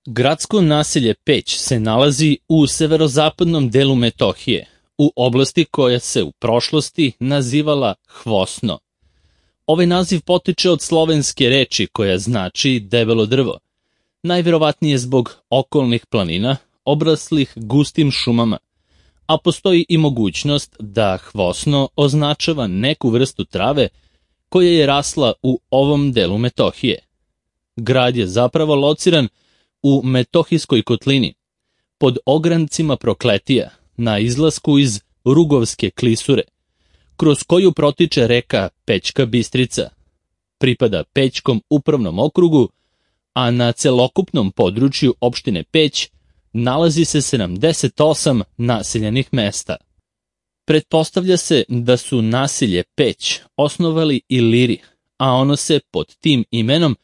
Gradsko naselje Peć se nalazi u severozapadnom delu Metohije, u oblasti koja se u prošlosti nazivala Hvosno. Ovaj naziv potiče od slovenske reči koja znači debelo drvo, najverovatnije zbog okolnih planina, obraslih gustim šumama, a postoji i mogućnost da Hvosno označava neku vrstu trave koja je rasla u ovom delu Metohije. Grad je zapravo lociran u Metohijskoj kotlini, pod ograncima Prokletija, na izlasku iz Rugovske klisure, kroz koju protiče reka Pećka Bistrica. Pripada Pećkom upravnom okrugu, a na celokupnom području opštine Peć nalazi se 78 naseljenih mesta. Pretpostavlja se da su naselje Peć osnovali Iliri, a ono se pod tim imenom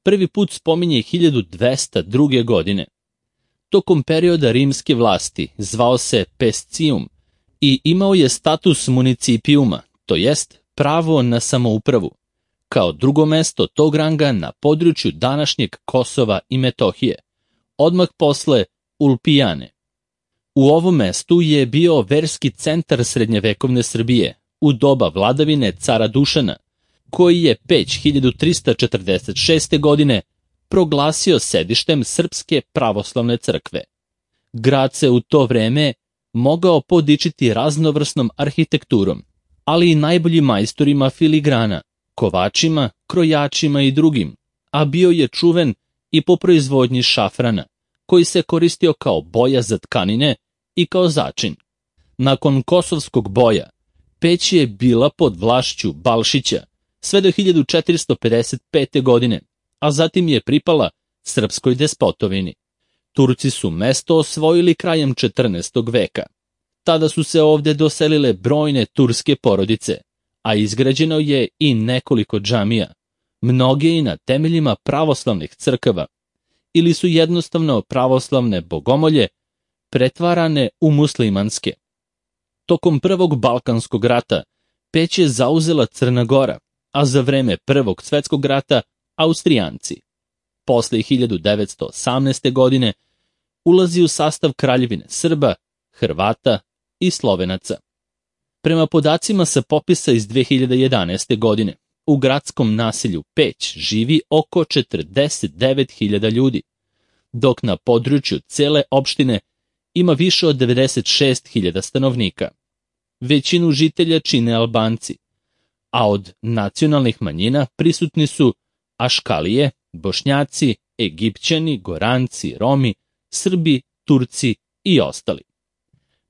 prvi put spominje 1202. godine. Tokom perioda rimske vlasti zvao se Pescium i imao je status municipijuma, to jest pravo na samoupravu, kao drugo mesto tog ranga na području današnjeg Kosova i Metohije, odmah posle Ulpijane. U ovom mestu je bio verski centar srednjevekovne Srbije u doba vladavine cara Dušana, koji je Peć 1346. godine proglasio sedištem Srpske pravoslavne crkve. Grad se u to vreme mogao podičiti raznovrsnom arhitekturom, ali i najboljim majstorima filigrana, kovačima, krojačima i drugim, a bio je čuven i po proizvodnji šafrana, koji se koristio kao boja za tkanine i kao začin. Nakon Kosovskog boja, Peć je bila pod vlašću Balšića sve do 1455. godine, a zatim je pripala srpskoj despotovini. Turci su mesto osvojili krajem 14. veka. Tada su se ovde doselile brojne turske porodice, a izgrađeno je i nekoliko džamija, mnoge i na temeljima pravoslavnih crkava, ili su jednostavno pravoslavne bogomolje pretvarane u muslimanske. Tokom Prvog Balkanskog rata Peć je zauzela Crna Gora, a za vreme Prvog svetskog rata Austrijanci. Posle 1918. godine ulazi u sastav Kraljevine Srba, Hrvata i Slovenaca. Prema podacima sa popisa iz 2011. godine, u gradskom naselju Peć živi oko 49.000 ljudi, dok na području cele opštine ima više od 96.000 stanovnika. Većinu žitelja čine Albanci, a od nacionalnih manjina prisutni su Aškalije, Bošnjaci, Egipćani, Goranci, Romi, Srbi, Turci i ostali.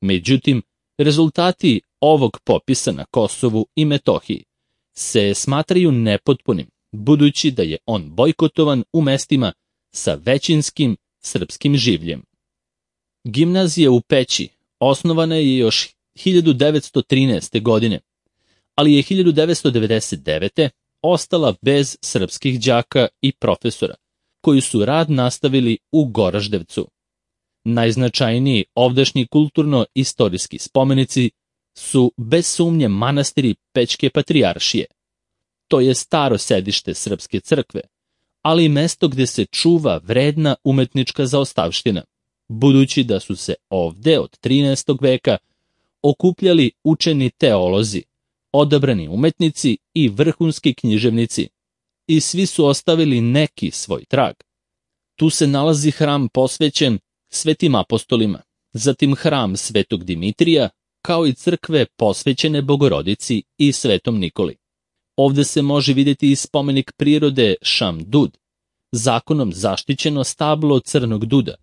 Međutim, rezultati ovog popisa na Kosovu i Metohiji se smatraju nepotpunim, budući da je on bojkotovan u mestima sa većinskim srpskim življem. Gimnazija u Peći osnovana je još 1913. godine, ali je 1999. ostala bez srpskih đaka i profesora, koji su rad nastavili u Goraždevcu. Najznačajniji ovdašnji kulturno-istorijski spomenici su bez sumnje manastiri Pećke patrijaršije. To je staro sedište Srpske crkve, ali i mesto gde se čuva vredna umetnička zaostavština, budući da su se ovde od 13. veka okupljali učeni teolozi, odabrani umetnici i vrhunski književnici, i svi su ostavili neki svoj trag. Tu se nalazi hram posvećen svetim apostolima, zatim hram svetog Dimitrija, kao i crkve posvećene Bogorodici i svetom Nikoli. Ovde se može vidjeti i spomenik prirode Šamdud, zakonom zaštićeno stablo crnog duda,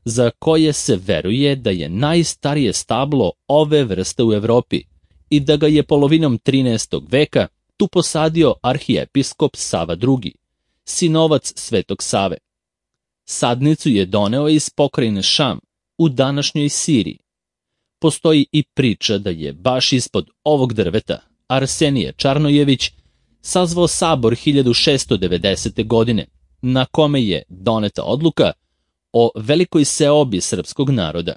za koje se veruje da je najstarije stablo ove vrste u Evropi i da ga je polovinom 13. veka tu posadio arhijepiskop Sava II, sinovac Svetog Save. Sadnicu je doneo iz pokrajine Šam u današnjoj Siriji. Postoji i priča da je baš ispod ovog drveta Arsenije Čarnojević sazvao sabor 1690. godine, na kome je doneta odluka o velikoj seobi srpskog naroda.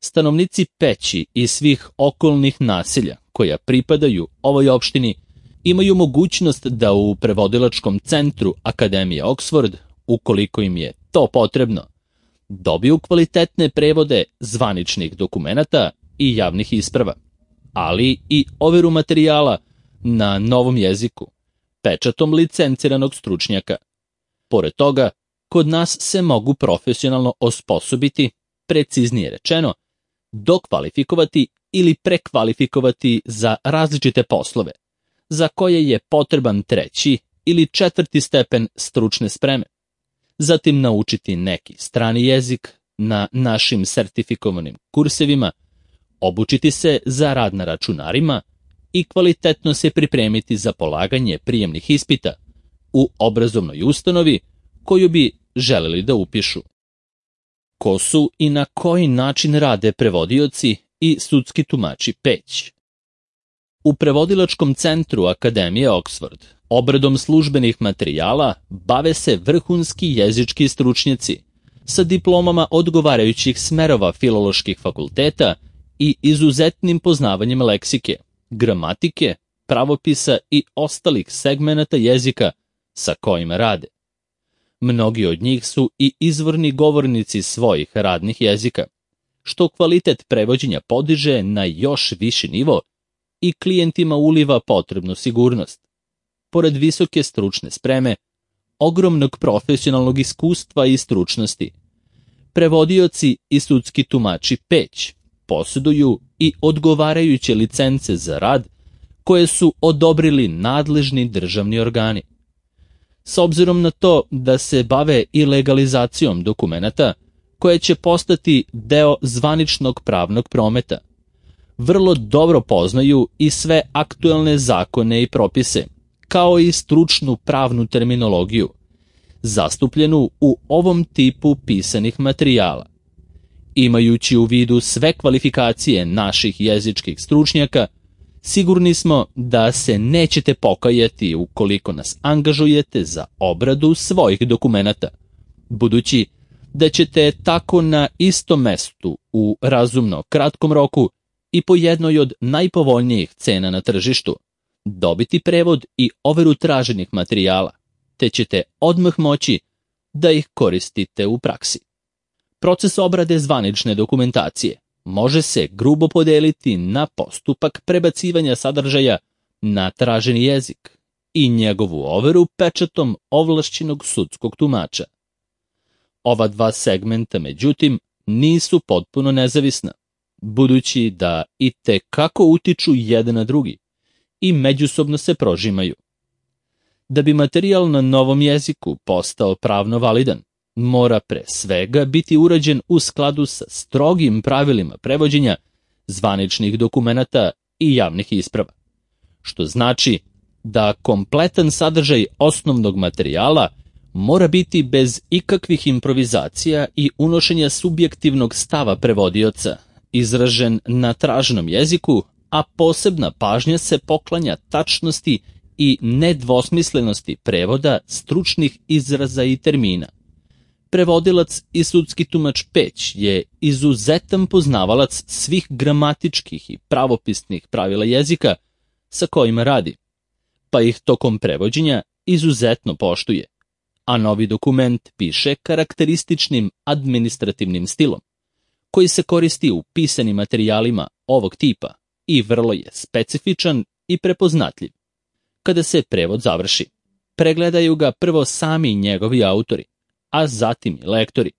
Stanovnici Peći i svih okolnih naselja koja pripadaju ovoj opštini imaju mogućnost da u prevodilačkom centru Akademije Oxford, ukoliko im je to potrebno, dobiju kvalitetne prevode zvaničnih dokumenata i javnih isprava, ali i overu materijala na novom jeziku, pečatom licenciranog stručnjaka. Pored toga, kod nas se mogu profesionalno osposobiti, preciznije rečeno, dokvalifikovati ili prekvalifikovati za različite poslove, za koje je potreban 3. ili 4. stepen stručne spreme. Zatim naučiti neki strani jezik na našim sertifikovanim kursevima, obučiti se za rad na računarima i kvalitetno se pripremiti za polaganje prijemnih ispita u obrazovnoj ustanovi koju bi želeli da upišu. Ko su i na koji način rade prevodioci i sudski tumači Peć? U prevodilačkom centru Akademije Oxford obradom službenih materijala bave se vrhunski jezički stručnjaci sa diplomama odgovarajućih smerova filoloških fakulteta i izuzetnim poznavanjem leksike, gramatike, pravopisa i ostalih segmenata jezika sa kojima rade. Mnogi od njih su i izvorni govornici svojih radnih jezika, što kvalitet prevođenja podiže na još viši nivo i klijentima uliva potrebnu sigurnost. Pored visoke stručne spreme, ogromnog profesionalnog iskustva i stručnosti, prevodioci i sudski tumači Peć posjeduju i odgovarajuće licence za rad koje su odobrili nadležni državni organi. S obzirom na to da se bave i legalizacijom dokumenata koje će postati deo zvaničnog pravnog prometa, vrlo dobro poznaju i sve aktuelne zakone i propise, kao i stručnu pravnu terminologiju, zastupljenu u ovom tipu pisanih materijala. Imajući u vidu sve kvalifikacije naših jezičkih stručnjaka, sigurni smo da se nećete pokajati ukoliko nas angažujete za obradu svojih dokumenata, budući da ćete tako na istom mestu u razumno kratkom roku i po jednoj od najpovoljnijih cena na tržištu dobiti prevod i overu traženih materijala, te ćete odmah moći da ih koristite u praksi. Proces obrade zvanične dokumentacije može se grubo podeliti na postupak prebacivanja sadržaja na traženi jezik i njegovu overu pečatom ovlašćenog sudskog tumača. Ova dva segmenta, međutim, nisu potpuno nezavisna, budući da i tekako utiču jedan na drugi i međusobno se prožimaju. Da bi materijal na novom jeziku postao pravno validan, mora pre svega biti urađen u skladu sa strogim pravilima prevođenja zvaničnih dokumenata i javnih isprava, što znači da kompletan sadržaj osnovnog materijala mora biti bez ikakvih improvizacija i unošenja subjektivnog stava prevodioca, izražen na traženom jeziku, a posebna pažnja se poklanja tačnosti i nedvosmislenosti prevoda stručnih izraza i termina. Prevodilac i sudski tumač Peć je izuzetan poznavalac svih gramatičkih i pravopisnih pravila jezika sa kojima radi, pa ih tokom prevođenja izuzetno poštuje, a novi dokument piše karakterističnim administrativnim stilom, koji se koristi u pisanim materijalima ovog tipa i vrlo je specifičan i prepoznatljiv. Kada se prevod završi, pregledaju ga prvo sami njegovi autori, a zatim i lektori,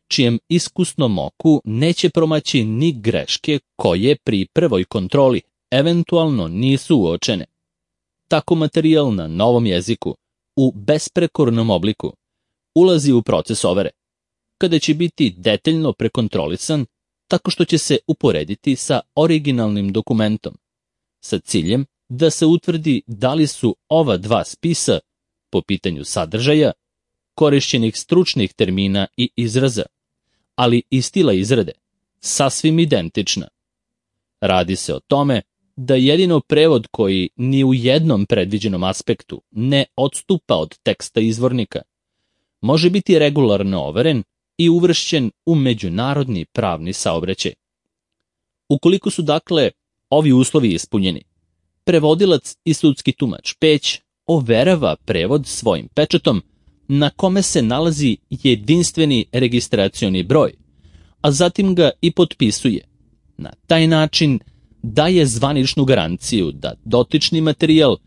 čijem iskusnom oku neće promaći ni greške koje pri prvoj kontroli eventualno nisu uočene. Tako materijal na novom jeziku, u besprekornom obliku, ulazi u proces overe, kada će biti detaljno prekontrolisan tako što će se uporediti sa originalnim dokumentom, sa ciljem da se utvrdi da li su ova dva spisa, po pitanju sadržaja, korišćenih stručnih termina i izraza, ali i stila izrade, sasvim identična. Radi se o tome da jedino prevod koji ni u jednom predviđenom aspektu ne odstupa od teksta izvornika, može biti regularno overen i uvršćen u međunarodni pravni saobraćaj. Ukoliko su dakle ovi uslovi ispunjeni, prevodilac i sudski tumač Peć overava prevod svojim pečatom na kome se nalazi jedinstveni registracioni broj, a zatim ga i potpisuje. Na taj način daje zvaničnu garanciju da dotični materijal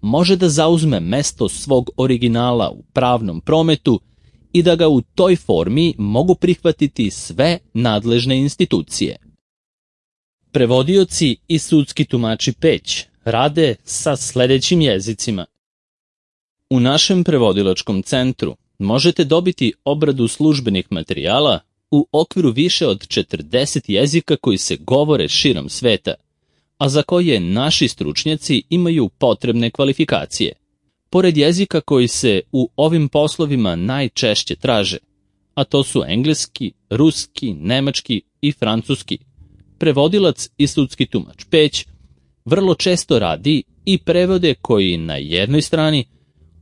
može da zauzme mesto svog originala u pravnom prometu i da ga u toj formi mogu prihvatiti sve nadležne institucije. Prevodioci i sudski tumači Peć rade sa sledećim jezicima. U našem prevodilačkom centru možete dobiti obradu službenih materijala u okviru više od 40 jezika koji se govore širom sveta, a za koje naši stručnjaci imaju potrebne kvalifikacije. Pored jezika koji se u ovim poslovima najčešće traže, a to su engleski, ruski, nemački i francuski, prevodilac i sudski tumač Peć vrlo često radi i prevode koji na jednoj strani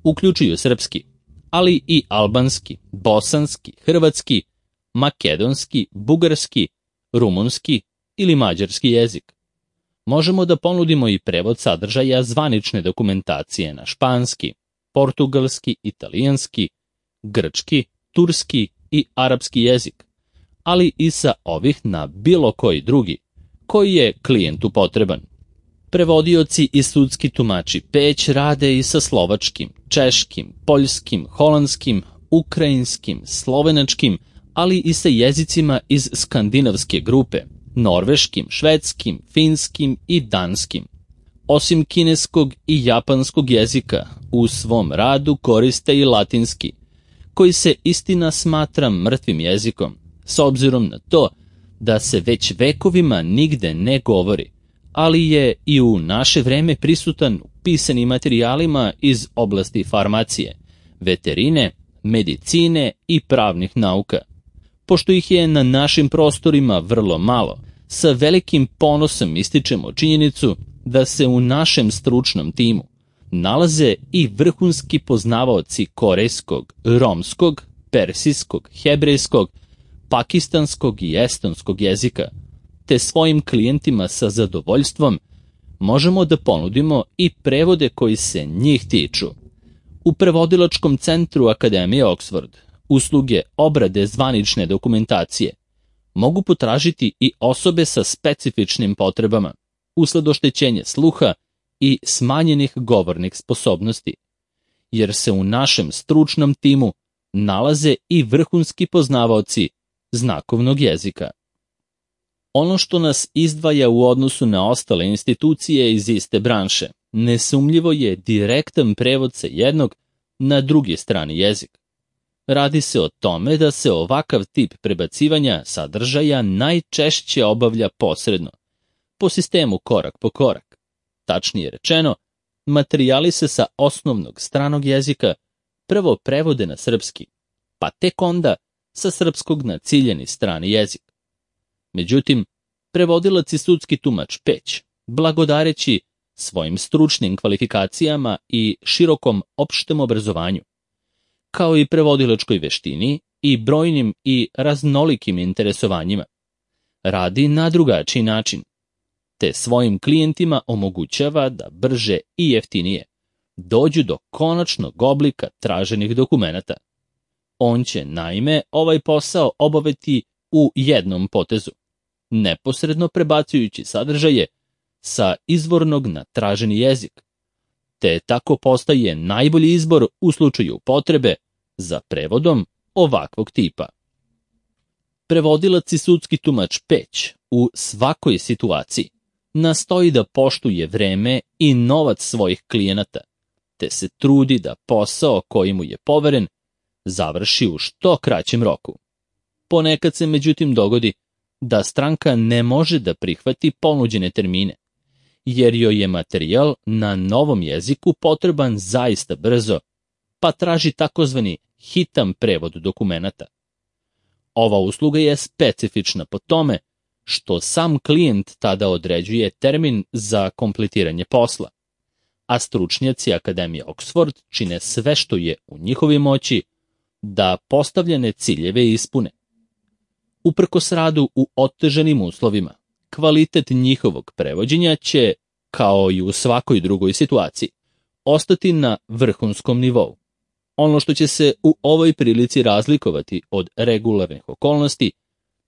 uključuju srpski, ali i albanski, bosanski, hrvatski, makedonski, bugarski, rumunski ili mađarski jezik. Možemo da ponudimo i prevod sadržaja zvanične dokumentacije na španski, portugalski, italijanski, grčki, turski i arapski jezik, ali i sa ovih na bilo koji drugi, koji je klijentu potreban. Prevodioci i sudski tumači Peć rade i sa slovačkim, češkim, poljskim, holandskim, ukrajinskim, slovenačkim, ali i sa jezicima iz skandinavske grupe, norveškim, švedskim, finskim i danskim. Osim kineskog i japanskog jezika, u svom radu koriste i latinski, koji se istina smatra mrtvim jezikom, s obzirom na to da se već vekovima nigde ne govori, ali je i u naše vreme prisutan u pisanim materijalima iz oblasti farmacije, veterine, medicine i pravnih nauka. Pošto ih je na našim prostorima vrlo malo, sa velikim ponosom ističemo činjenicu da se u našem stručnom timu nalaze i vrhunski poznavaoci korejskog, romskog, persijskog, hebrejskog, pakistanskog i estonskog jezika, te svojim klijentima sa zadovoljstvom možemo da ponudimo i prevode koji se njih tiču. U prevodilačkom centru Akademije Oxford usluge obrade zvanične dokumentacije mogu potražiti i osobe sa specifičnim potrebama, usled oštećenja sluha i smanjenih govornih sposobnosti, jer se u našem stručnom timu nalaze i vrhunski poznavaoci znakovnog jezika. Ono što nas izdvaja u odnosu na ostale institucije iz iste branše, nesumljivo je direktan prevod sa jednog na drugi strani jezik. Radi se o tome da se ovakav tip prebacivanja sadržaja najčešće obavlja posredno, po sistemu korak po korak. Tačnije rečeno, materijali se sa osnovnog stranog jezika prvo prevode na srpski, pa tek onda sa srpskog na ciljeni strani jezik. Međutim, prevodilac i sudski tumač Peć, blagodareći svojim stručnim kvalifikacijama i širokom opštem obrazovanju, kao i prevodilačkoj veštini i brojnim i raznolikim interesovanjima, radi na drugačiji način, te svojim klijentima omogućava da brže i jeftinije dođu do konačnog oblika traženih dokumenata. On će, naime, ovaj posao obaviti u jednom potezu, neposredno prebacujući sadržaje sa izvornog na traženi jezik, te tako postaje najbolji izbor u slučaju potrebe za prevodom ovakvog tipa. Prevodilac i sudski tumač Peć u svakoj situaciji nastoji da poštuje vreme i novac svojih klijenata, te se trudi da posao koji mu je poveren završi u što kraćem roku. Ponekad se međutim dogodi da stranka ne može da prihvati ponuđene termine, jer joj je materijal na novom jeziku potreban zaista brzo, pa traži takozvani hitan prevod dokumenata. Ova usluga je specifična po tome što sam klijent tada određuje termin za kompletiranje posla, a stručnjaci Akademije Oxford čine sve što je u njihovoj moći da postavljene ciljeve ispune. Uprkos radu u otežanim uslovima, kvalitet njihovog prevođenja će, kao i u svakoj drugoj situaciji, ostati na vrhunskom nivou. Ono što će se u ovoj prilici razlikovati od regularnih okolnosti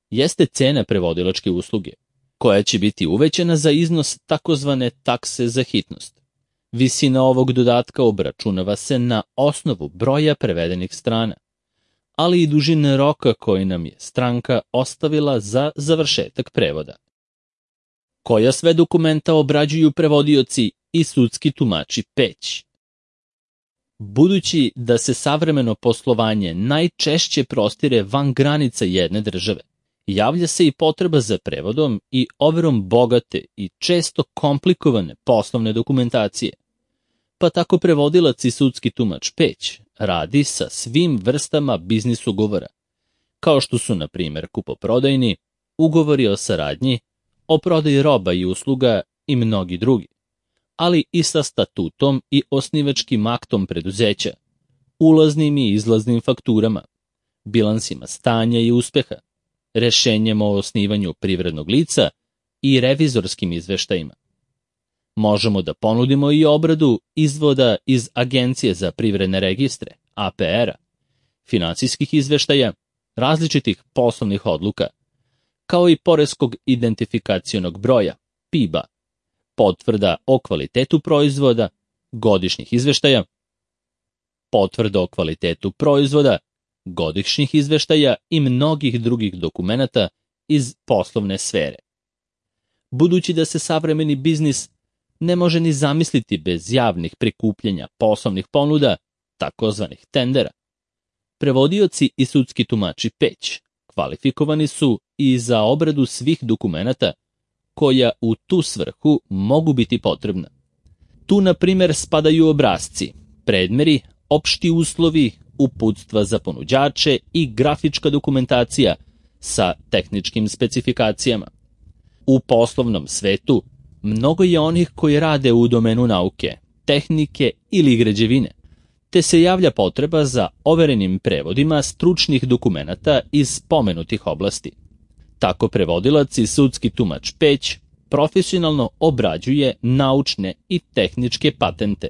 jeste cena prevodilačke usluge, koja će biti uvećana za iznos takozvane takse za hitnost. Visina ovog dodatka obračunava se na osnovu broja prevedenih strana, ali i dužine roka koji nam je stranka ostavila za završetak prevoda. Koja sve dokumenta obrađuju prevodioci i sudski tumači Peć? Budući da se savremeno poslovanje najčešće prostire van granica jedne države, javlja se i potreba za prevodom i overom bogate i često komplikovane poslovne dokumentacije. Pa tako prevodilac i sudski tumač Peć radi sa svim vrstama biznis ugovora, kao što su, na primjer, kupoprodajni, ugovori o saradnji, o prodaji roba i usluga i mnogi drugi, ali i sa statutom i osnivačkim aktom preduzeća, ulaznim i izlaznim fakturama, bilansima stanja i uspeha, rešenjem o osnivanju privrednog lica i revizorskim izveštajima. Možemo da ponudimo i obradu izvoda iz Agencije za privredne registre, APR-a, finansijskih izveštaja, različitih poslovnih odluka, kao i poreskog identifikacionog broja, PIB-a, potvrda o kvalitetu proizvoda, godišnjih izveštaja, potvrda o kvalitetu proizvoda, godišnjih izveštaja i mnogih drugih dokumenata iz poslovne sfere. Budući da se savremeni biznis ne može ni zamisliti bez javnih prikupljanja poslovnih ponuda, takozvanih tendera, prevodioci i sudski tumači Peć kvalifikovani su i za obradu svih dokumenata koja u tu svrhu mogu biti potrebna. Tu, na primjer, spadaju obrasci, predmeri, opšti uslovi, uputstva za ponuđače i grafička dokumentacija sa tehničkim specifikacijama. U poslovnom svetu mnogo je onih koji rade u domenu nauke, tehnike ili građevine, te se javlja potreba za overenim prevodima stručnih dokumenata iz pomenutih oblasti. Tako prevodilac i sudski tumač Peć profesionalno obrađuje naučne i tehničke patente,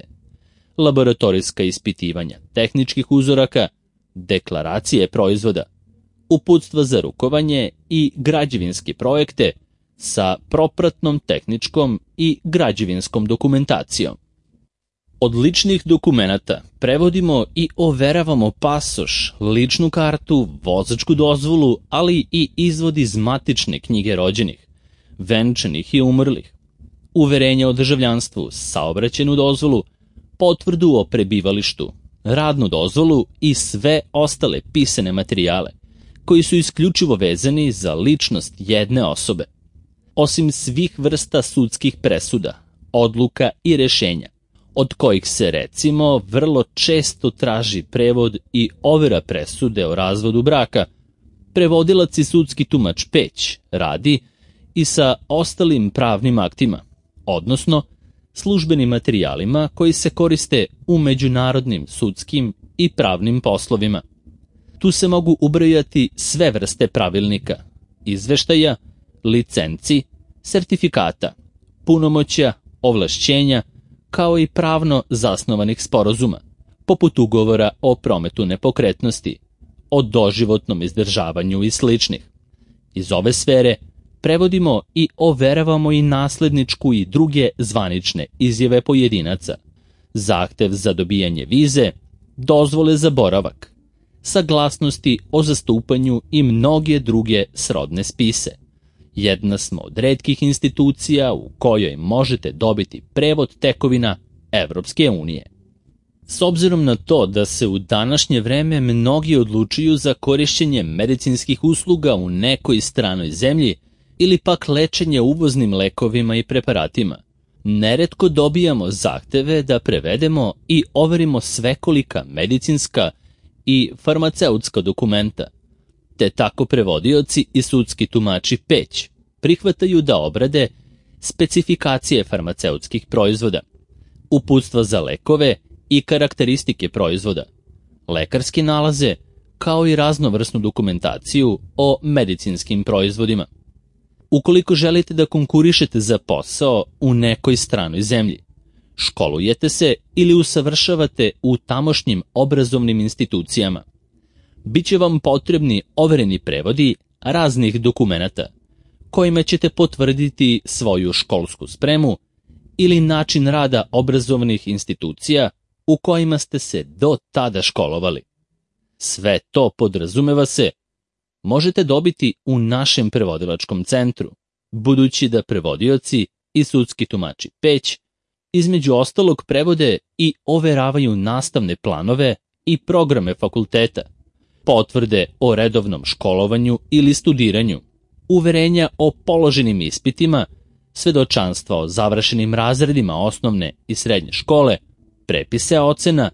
laboratorijska ispitivanja tehničkih uzoraka, deklaracije proizvoda, uputstva za rukovanje i građevinske projekte sa propratnom tehničkom i građevinskom dokumentacijom. Od ličnih dokumenata prevodimo i overavamo pasoš, ličnu kartu, vozačku dozvolu, ali i izvod iz matične knjige rođenih, venčanih i umrlih, uverenje o državljanstvu, saobraćajnu dozvolu, potvrdu o prebivalištu, radnu dozvolu i sve ostale pisane materijale, koji su isključivo vezani za ličnost jedne osobe. Osim svih vrsta sudskih presuda, odluka i rešenja, od kojih se, recimo, vrlo često traži prevod i overa presude o razvodu braka, prevodilac i sudski tumač Peć radi i sa ostalim pravnim aktima, odnosno službenim materijalima koji se koriste u međunarodnim sudskim i pravnim poslovima. Tu se mogu ubrojati sve vrste pravilnika, izveštaja, licenci, sertifikata, punomoćja, ovlašćenja, kao i pravno zasnovanih sporazuma, poput ugovora o prometu nepokretnosti, o doživotnom izdržavanju i sličnih. Iz ove sfere prevodimo i overavamo i nasledničku i druge zvanične izjave pojedinaca, zahtev za dobijanje vize, dozvole za boravak, saglasnosti o zastupanju i mnoge druge srodne spise. Jedna smo od retkih institucija u kojoj možete dobiti prevod tekovina Evropske unije. S obzirom na to da se u današnje vreme mnogi odlučuju za korišćenje medicinskih usluga u nekoj stranoj zemlji ili pak lečenje uvoznim lekovima i preparatima, neretko dobijamo zahteve da prevedemo i overimo svekolika medicinska i farmaceutska dokumenta, te tako prevodioci i sudski tumači Peć prihvataju da obrade specifikacije farmaceutskih proizvoda, uputstva za lekove i karakteristike proizvoda, lekarske nalaze, kao i raznovrsnu dokumentaciju o medicinskim proizvodima. Ukoliko želite da konkurišete za posao u nekoj stranoj zemlji, školujete se ili usavršavate u tamošnjim obrazovnim institucijama. Biće vam potrebni overeni prevodi raznih dokumenata, kojima ćete potvrditi svoju školsku spremu ili način rada obrazovnih institucija u kojima ste se do tada školovali. Sve to, podrazumeva se, možete dobiti u našem prevodilačkom centru, budući da prevodioci i sudski tumači Peć između ostalog prevode i overavaju nastavne planove i programe fakulteta, potvrde o redovnom školovanju ili studiranju, uverenja o položenim ispitima, svedočanstva o završenim razredima osnovne i srednje škole, prepise ocena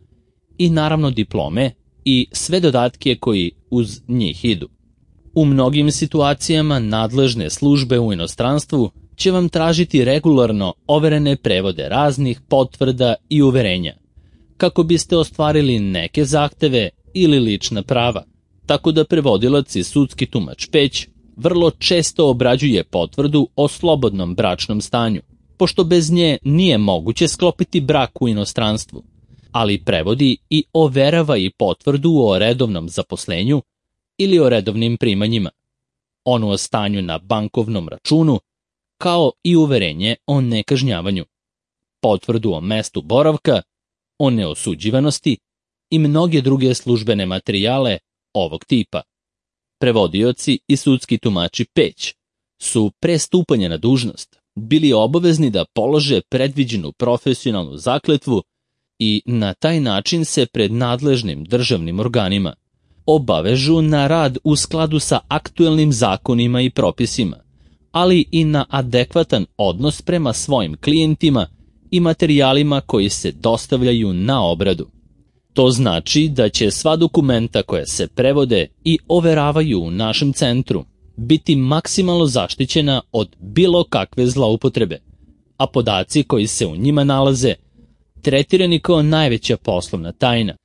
i naravno diplome i sve dodatke koji uz njih idu. U mnogim situacijama nadležne službe u inostranstvu će vam tražiti regularno overene prevode raznih potvrda i uverenja, kako biste ostvarili neke zahteve ili lična prava, tako da prevodilac i sudski tumač Peć vrlo često obrađuje potvrdu o slobodnom bračnom stanju, pošto bez nje nije moguće sklopiti brak u inostranstvu, ali prevodi i overava i potvrdu o redovnom zaposlenju ili o redovnim primanjima, onu o stanju na bankovnom računu, kao i uverenje o nekažnjavanju, potvrdu o mestu boravka, o neosuđivanosti i mnoge druge službene materijale ovog tipa. Prevodioci i sudski tumači Peć su pre stupanja na dužnost bili obavezni da polože predviđenu profesionalnu zakletvu i na taj način se pred nadležnim državnim organima obavežu na rad u skladu sa aktuelnim zakonima i propisima, ali i na adekvatan odnos prema svojim klijentima i materijalima koji se dostavljaju na obradu. To znači da će sva dokumenta koja se prevode i overavaju u našem centru biti maksimalno zaštićena od bilo kakve zloupotrebe, a podaci koji se u njima nalaze tretirani kao najveća poslovna tajna.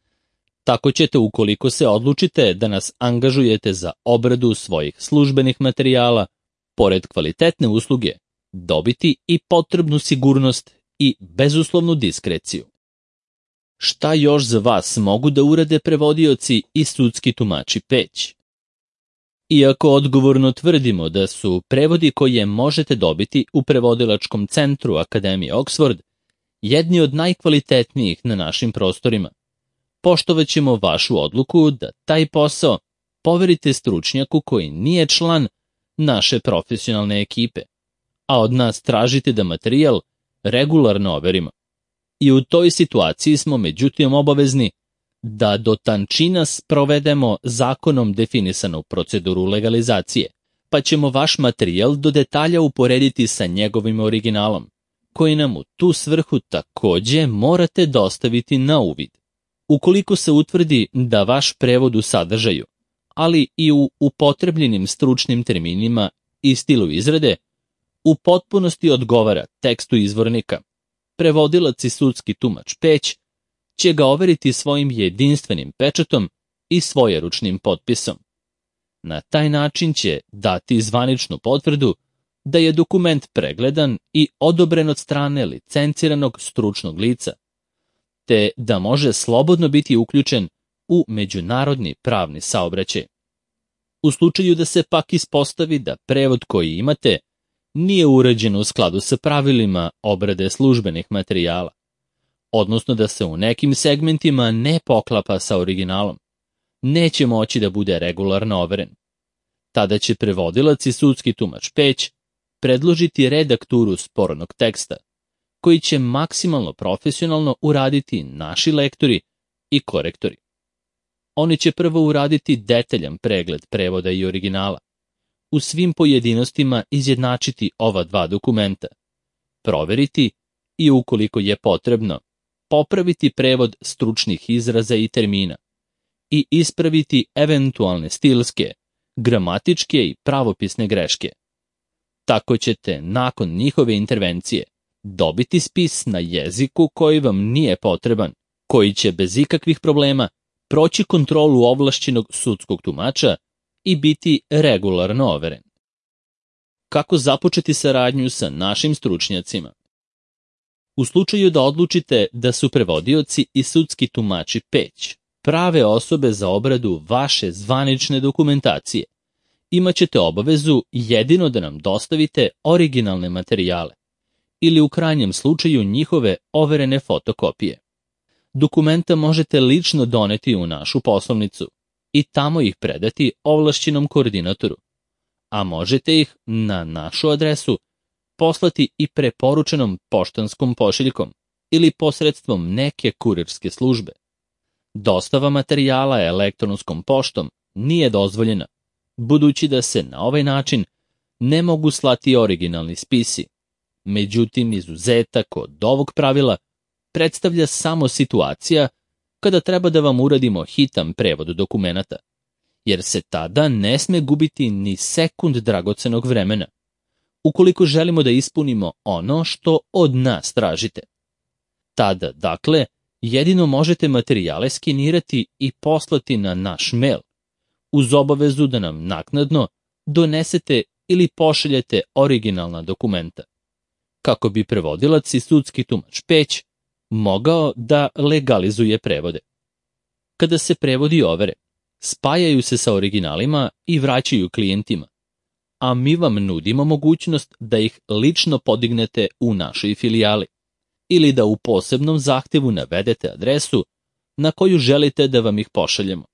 Tako ćete, ukoliko se odlučite da nas angažujete za obradu svojih službenih materijala, pored kvalitetne usluge, dobiti i potrebnu sigurnost i bezuslovnu diskreciju. Šta još za vas mogu da urade prevodioci i sudski tumači Peć? Iako odgovorno tvrdimo da su prevodi koje možete dobiti u prevodilačkom centru Akademije Oxford jedni od najkvalitetnijih na našim prostorima, poštovaćemo vašu odluku da taj posao poverite stručnjaku koji nije član naše profesionalne ekipe, a od nas tražite da materijal regularno overimo. I u toj situaciji smo međutim obavezni da do tančina sprovedemo zakonom definisanu proceduru legalizacije, pa ćemo vaš materijal do detalja uporediti sa njegovim originalom, koji nam u tu svrhu takođe morate dostaviti na uvid. Ukoliko se utvrdi da vaš prevod u sadržaju, ali i u upotrebljenim stručnim terminima i stilu izrade, u potpunosti odgovara tekstu izvornika, prevodilac i sudski tumač Peć će ga overiti svojim jedinstvenim pečatom i svojeručnim potpisom. Na taj način će dati zvaničnu potvrdu da je dokument pregledan i odobren od strane licenciranog stručnog lica, te da može slobodno biti uključen u međunarodni pravni saobraćaj. U slučaju da se pak ispostavi da prevod koji imate nije urađen u skladu sa pravilima obrade službenih materijala, odnosno da se u nekim segmentima ne poklapa sa originalom, neće moći da bude regularno overen. Tada će prevodilac i sudski tumač Peć predložiti redakturu spornog teksta, koji će maksimalno profesionalno uraditi naši lektori i korektori. Oni će prvo uraditi detaljan pregled prevoda i originala, u svim pojedinostima izjednačiti ova dva dokumenta, proveriti i, ukoliko je potrebno, popraviti prevod stručnih izraza i termina i ispraviti eventualne stilske, gramatičke i pravopisne greške. Tako ćete, nakon njihove intervencije, dobiti spis na jeziku koji vam nije potreban, koji će bez ikakvih problema proći kontrolu ovlašćenog sudskog tumača i biti regularno overen. Kako započeti saradnju sa našim stručnjacima? U slučaju da odlučite da su prevodioci i sudski tumači Peć prave osobe za obradu vaše zvanične dokumentacije, imaćete obavezu jedino da nam dostavite originalne materijale ili u krajnjem slučaju njihove overene fotokopije. Dokumenta možete lično doneti u našu poslovnicu i tamo ih predati ovlašćenom koordinatoru, a možete ih na našu adresu poslati i preporučenom poštanskom pošiljkom ili posredstvom neke kurirske službe. Dostava materijala elektronskom poštom nije dozvoljena, budući da se na ovaj način ne mogu slati originalni spisi. Međutim, izuzetak od ovog pravila predstavlja samo situacija kada treba da vam uradimo hitan prevod dokumenata, jer se tada ne sme gubiti ni sekund dragocenog vremena, ukoliko želimo da ispunimo ono što od nas tražite. Tada, dakle, jedino možete materijale skenirati i poslati na naš mail, uz obavezu da nam naknadno donesete ili pošaljete originalna dokumenta, kako bi prevodilac i sudski tumač Peć mogao da legalizuje prevode. Kada se prevodi overe, spajaju se sa originalima i vraćaju klijentima, a mi vam nudimo mogućnost da ih lično podignete u našoj filijali ili da u posebnom zahtevu navedete adresu na koju želite da vam ih pošaljemo.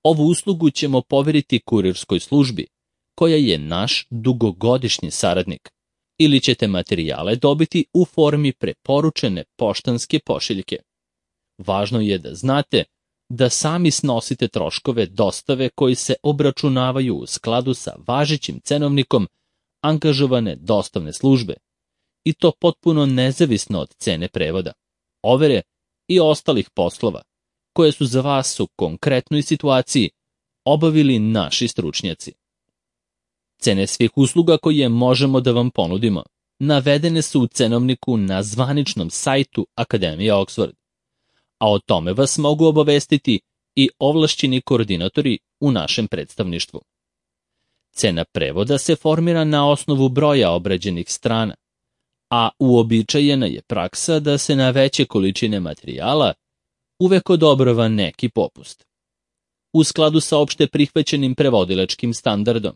Ovu uslugu ćemo poveriti kurirskoj službi, koja je naš dugogodišnji saradnik, ili ćete materijale dobiti u formi preporučene poštanske pošiljke. Važno je da znate da sami snosite troškove dostave koji se obračunavaju u skladu sa važećim cenovnikom angažovane dostavne službe, i to potpuno nezavisno od cene prevoda, overe i ostalih poslova, koje su za vas u konkretnoj situaciji obavili naši stručnjaci. Cene svih usluga koje možemo da vam ponudimo navedene su u cenovniku na zvaničnom sajtu Akademije Oxford, a o tome vas mogu obavestiti i ovlašćeni koordinatori u našem predstavništvu. Cena prevoda se formira na osnovu broja obrađenih strana, a uobičajena je praksa da se na veće količine materijala uvek odobrava neki popust. U skladu sa opšte prihvaćenim prevodilačkim standardom,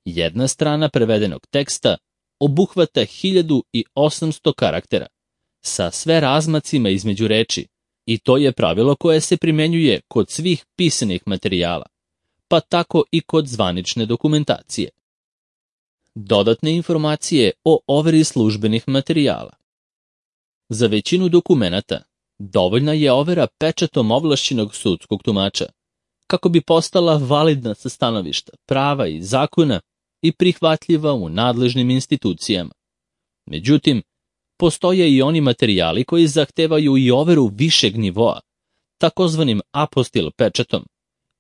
jedna strana prevedenog teksta obuhvata 1800 karaktera sa sve razmacima između reči, i to je pravilo koje se primenjuje kod svih pisanih materijala, pa tako i kod zvanične dokumentacije. Dodatne informacije o overi službenih materijala. Za većinu dokumenata dovoljna je overa pečatom ovlašćenog sudskog tumača, kako bi postala validna sa stanovišta prava i zakona i prihvatljiva u nadležnim institucijama. Međutim, postoje i oni materijali koji zahtevaju i overu višeg nivoa, takozvanim apostil pečatom,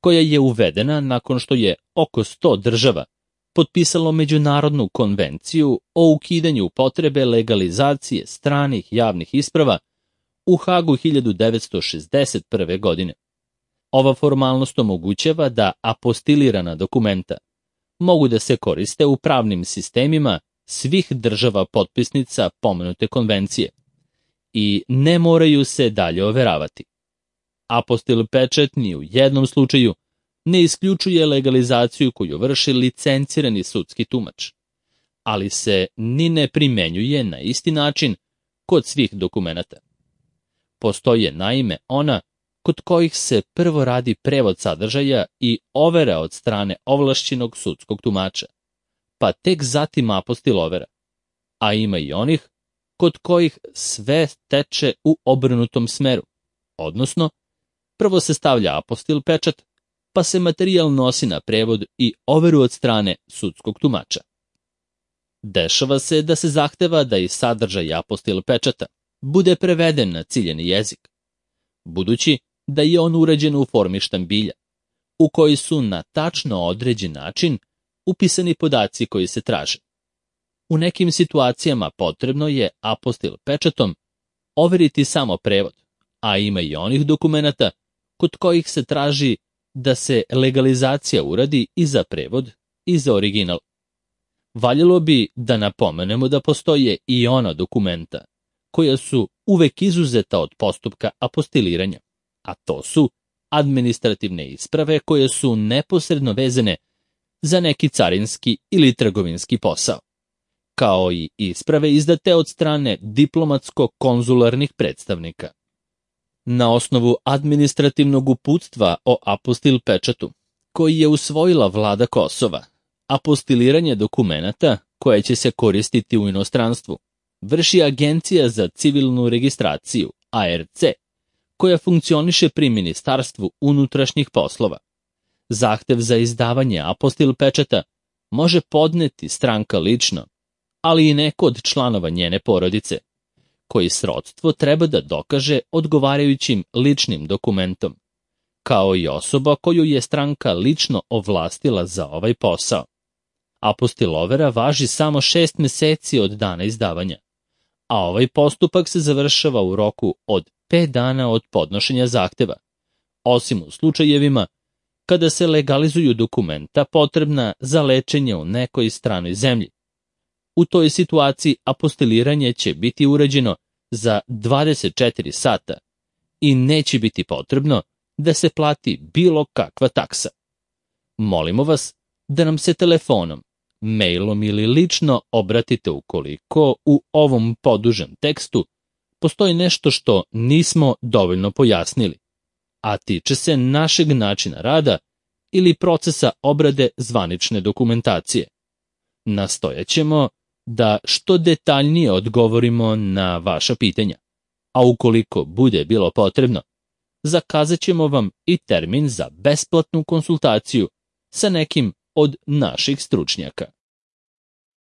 koja je uvedena nakon što je oko 100 država potpisalo Međunarodnu konvenciju o ukidanju potrebe legalizacije stranih javnih isprava u Hagu 1961. godine. Ova formalnost omogućava da apostilirana dokumenta mogu da se koriste u pravnim sistemima svih država potpisnica pomenute konvencije i ne moraju se dalje overavati. Apostil pečat ni u jednom slučaju ne isključuje legalizaciju koju vrši licencirani sudski tumač, ali se ni ne primenjuje na isti način kod svih dokumenata. Postoje naime ona kod kojih se prvo radi prevod sadržaja i overa od strane ovlašćenog sudskog tumača, pa tek zatim apostil overa, a ima i onih kod kojih sve teče u obrnutom smeru, odnosno prvo se stavlja apostil pečat, pa se materijal nosi na prevod i overu od strane sudskog tumača. Dešava se da se zahteva da i sadržaj apostil pečata bude preveden na ciljeni jezik, budući da je on urađen u formi štambilja, u koji su na tačno određen način upisani podaci koji se traže. U nekim situacijama potrebno je apostil pečatom overiti samo prevod, a ima i onih dokumenata kod kojih se traži da se legalizacija uradi i za prevod i za original. Valjalo bi da napomenemo da postoje i ona dokumenta koja su uvek izuzeta od postupka apostiliranja, a to su administrativne isprave koje su neposredno vezane za neki carinski ili trgovinski posao, kao i isprave izdate od strane diplomatsko-konzularnih predstavnika. Na osnovu administrativnog uputstva o apostil pečatu, koji je usvojila vlada Kosova, apostiliranje dokumenata koje će se koristiti u inostranstvu vrši Agencija za civilnu registraciju, ARC, koja funkcioniše pri Ministarstvu unutrašnjih poslova. Zahtev za izdavanje apostil pečata može podneti stranka lično, ali i neko od članova njene porodice, koji srodstvo treba da dokaže odgovarajućim ličnim dokumentom, kao i osoba koju je stranka lično ovlastila za ovaj posao. Apostilovera važi samo 6 meseci od dana izdavanja, a ovaj postupak se završava u roku od 5 dana od podnošenja zahteva, osim u slučajevima kada se legalizuju dokumenta potrebna za lečenje u nekoj stranoj zemlji. U toj situaciji apostiliranje će biti urađeno za 24 sata i neće biti potrebno da se plati bilo kakva taksa. Molimo vas da nam se telefonom, mailom ili lično obratite ukoliko u ovom podužem tekstu postoji nešto što nismo dovoljno pojasnili, a tiče se našeg načina rada ili procesa obrade zvanične dokumentacije. Nastojaćemo da što detaljnije odgovorimo na vaša pitanja, a ukoliko bude bilo potrebno, zakazat ćemo vam i termin za besplatnu konsultaciju sa nekim od naših stručnjaka.